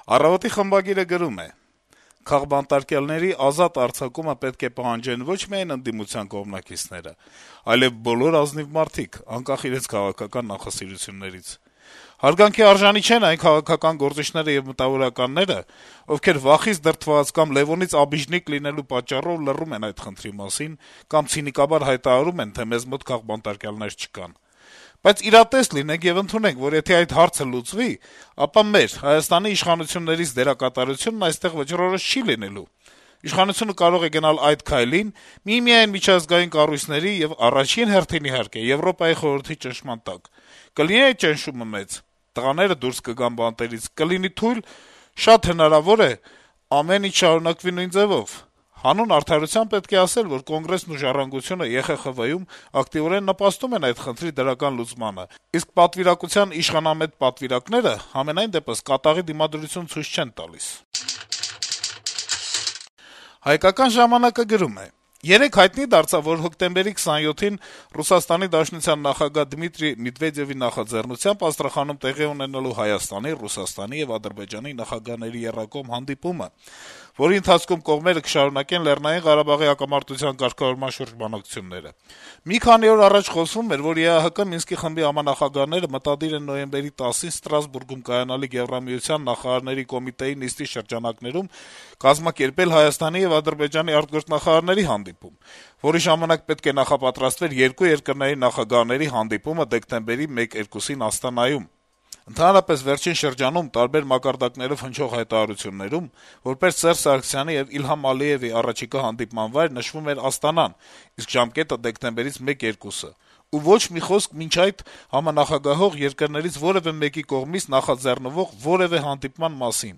Առավոտի խմբագիրը գրում է. - «Քաղբանտարկյալների ազատ արձակումը պետք է պահանջեն ոչ միայն ընդդիմության կողմնակիցները, այլեւ բոլոր ազնիվ մարդիկ, անկախ իրենց քաղաքական նախասիրություններից: Հարգանքի արժանի չեն այն քաղաքական գործիչները եւ մտավորականները, ովքեր վախից դրդված կամ Լեւոնից աբիժնիկ լինելու պատճառով լռում են այդ խնդրի մասին կամ ցինիկաբար հայտարարում են, թե մեզ մոտ քաղբանտարկյալներ չկան: Բայց իրատես լինենք եւ ընդունենք, որ եթե այդ հարցը լուծվի, ապա մեր՝ Հայաստանի իշխանություններից դերակատարությունն այստեղ վճռորոշ չի լինելու: Իշխանությունը կարող է գնալ այդ քայլին միմիայն միջազգային կառույցների եւ առաջին հերթին, իհարկե, Եվրոպայի խորհրդի ճնշման տակ: Կլինի այդ ճնշումը մեծ, տղաները դուրս կգան բանտերից, կլինի թույլ, շատ հնարավոր է ամեն ինչ շարունակվի նույն ձեւով: Հանուն արդարության պետք է ասել, որ Կոնգրեսն ու «Ժառանգությունը» ԵԽԽՎ-ում ակտիվորեն նպաստում են այդ խնդրի դրական լուծմանը, իսկ պատվիրակության իշխանամետ պատվիրակները համենայնդեպս կատաղի դիմադրություն ցույց չեն տալիս»: «Հայկական ժամանակ»-ը գրում է. - «Երեկ հայտնի դարձավ, որ հոկտեմբերի 27-ին ՌԴ նախագահ Դմիտրի Մեդվեդեւի նախաձեռնությամբ Աստրախանում տեղի է ունենալու Հայաստանի, Ռուսաստանի եւ Ադրբեջանի նախագահների եռակողմ հանդիպումը, որի ընթացքում կողմերը կշարունակեն Լեռնային Ղարաբաղի հակամարտության կարգավորման շուրջ բանակցությունները: Մի քանի օր առաջ խոսվում էր, որ ԵԱՀԿ Մինսկի խմբի համանախագահները մտադիր են նոյեմբերի 10-ին Ստրասբուրգում կայանալիք Եվրամիության նախարարների կոմիտեի նիստի շրջանակներում կազմակերպել Հայաստանի եւ Ադրբեջանի արտգործնախարարների հանդիպում, որի ժամանակ պետք է նախապատրաստվեր երկու երկրների նախագահների հանդիպումը դեկտեմբերի 1-2-ին Աստանայում: Ընդհանրապես, վերջին շրջանում տարբեր մակարդակներով հնչող հայտարարություններում որպես Սերժ Սարգսյանի եւ Իլհամ Ալիեւի առաջիկա հանդիպման վայր նշվում էր Աստանան, իսկ ժամկետը դեկտեմբերից 1-2: Ու ոչ մի խոսք մինչ այդ համանախագահող երկրներից որեւէ մեկի կողմից նախաձեռնվող որեւէ հանդիպման մասին: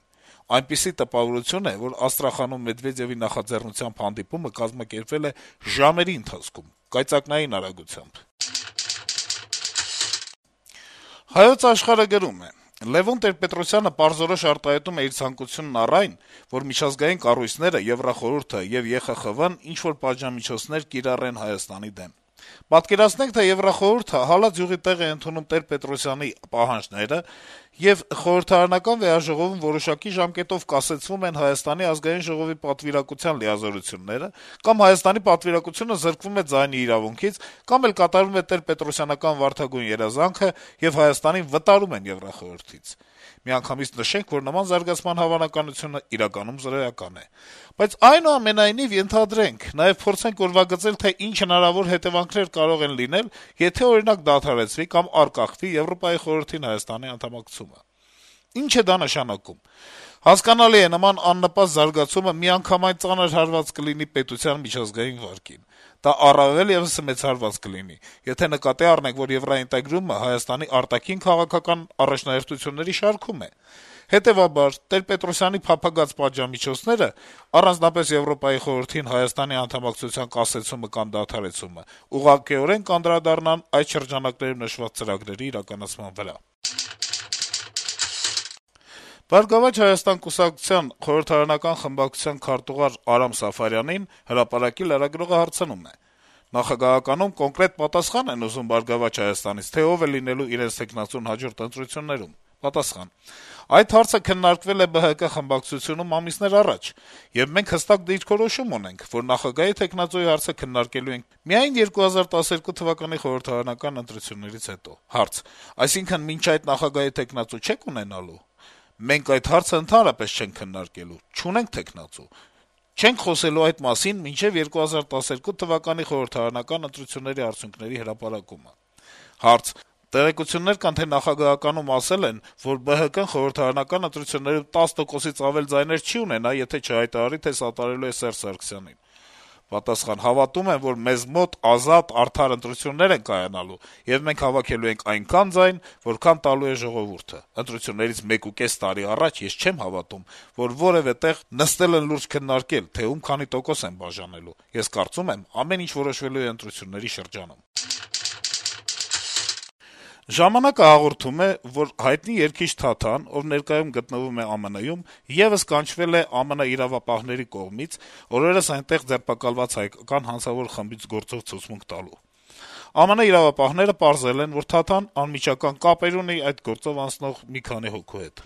Այնպիսի տպավորություն է, որ Աստրախանում Մեդվեդեւի նախաձեռնությամբ հանդիպումը կազմակերպվել է ժամերի ընթացքում, կայծակնային արագությամբ»: «Հայոց Աշխարհ»-ը գրում է. - «Լեւոն Տեր-Պետրոսյանը պարզորոշ արտահայտում է իր ցանկությունն առ այն, որ միջազգային կառույցները, Եվրախորհուրդը եւ ԵԽԽՎ-ն ինչ-որ պատժամիջոցներ կիրառեն Հայաստանի դեմ: Պատկերացնենք, թե Եվրախորհուրդը հալած յուղի տեղ է ընդունում Տեր-Պետրոսյանի պահանջները, եւ խորհրդարանական վեհաժողովում որոշակի ժամկետով կասեցվում են Հայաստանի Ազգային ժողովի պատվիրակության լիազորությունները, կամ Հայաստանի պատվիրակությունը զրկվում է ձայնի իրավունքից, կամ էլ կատարվում է տեր-պետրոսյանական վարդագույն երազանքը, եւ Հայաստանին վտարում են Եվրախորհրդից: Միանգամից նշենք, որ նման զարգացման հավանականությունը իրականում զրոյական է: Բայց այնուամենայնիվ ենթադրենք, նաեւ փորձենք ուրվագծել, թե ինչ հնարավոր հետեւանքներ կարող են լինել, եթե, օրինակ, դադարեցվի կամ առկախվի Եվրոպայի խորհրդին Հայաստանի անդամակցումը: Ինչ է դա նշանակում: Հասկանալի է, նման աննպաստ զարգացումը միանգամայն ծանր հարված կլինի պետության միջազգային վարկին: Դա առավել եւս մեծ հարված կլինի, եթե նկատի առնենք, որ եվրաինտեգրումը Հայաստանի արտաքին քաղաքական առաջնահերթությունների շարքում է: Հետեւաբար, Տեր-Պետրոսյանի փափագած պատժամիջոցները, առանձնապես Եվրոպայի խորհրդին Հայաստանի անդամակցության կասեցումը կամ դադարեցումը, ուղղակիորեն կանդրադառնան այդ շրջանակներում նշված ծրագրերի իրականացման վրա»: «Բարգավաճ Հայաստան» կուսակցության խորհրդարանական խմբակցության քարտուղար Արամ Սաֆարյանին «Հրապարակ»-ի լրագրողը հարցնում է. - «Նախագահականում կոնկրետ պատասխան են ուզում «Բարգավաճ Հայաստանից», թե ով է լինելու իրենց թեկնածուն հաջորդ ընտրություններում»: Պատասխան. - «Այդ հարցը քննարկվել է ԲՀԿ խմբակցությունում ամիսներ առաջ, եւ մենք հստակ դիրքորոշում ունենք, որ նախագահի թեկնածուի հարցը քննարկելու ենք միայն 2012 թվականի խորհրդարանական ընտրություններից հետո»: Հարց. - «Այսինքն մինչ այդ նախագահի թեկնածու չե՞ք ունենալու»: «Մենք այդ հարցը ընդհանրապես չենք քննարկելու, չունենք թեկնածու: Չենք խոսելու այդ մասին մինչեւ 2012 թվականի խորհրդարանական ընտրությունների արդյունքների հրապարակումը»: Հարց. - «Տեղեկություններ կան, թե նախագահականում ասել են, որ ԲՀԿ-ն խորհրդարանական ընտրություններում 10%-ից ավել ձայներ չի ունենա, եթե չհայտարարի, թե սատարելու է Սերժ Սարգսյանին»: Պատասխան. - «Հավատում եմ, որ մեզ մոտ ազատ, արդար ընտրություններ են կայանալու, եւ մենք հավաքելու ենք այնքան ձայն, որքան տալու է ժողովուրդը: Ընտրություններից 1.5 տարի առաջ ես չեմ հավատում, որ որեւէ տեղ նստել են լուրջ քննարկել, թե ում քանի տոկոս են բաժանելու: Ես կարծում եմ, ամեն ինչ որոշվելու է ընտրությունների շրջանում»: «Ժամանակ»-ը հաղորդում է, որ հայտնի երգիչ Թաթան, ով ներկայում գտնվում է ԱՄՆ-ում, եւս կանչվել է ԱՄՆ իրավապահների կողմից օրերս այնտեղ ձերբակալված հայկական հանցավոր խմբից գործող ցուցմունք տալու: ԱՄՆ իրավապահները պարզել են, որ Թաթան անմիջական կապեր ունի այդ գործով անցնող մի քանի հոգու հետ: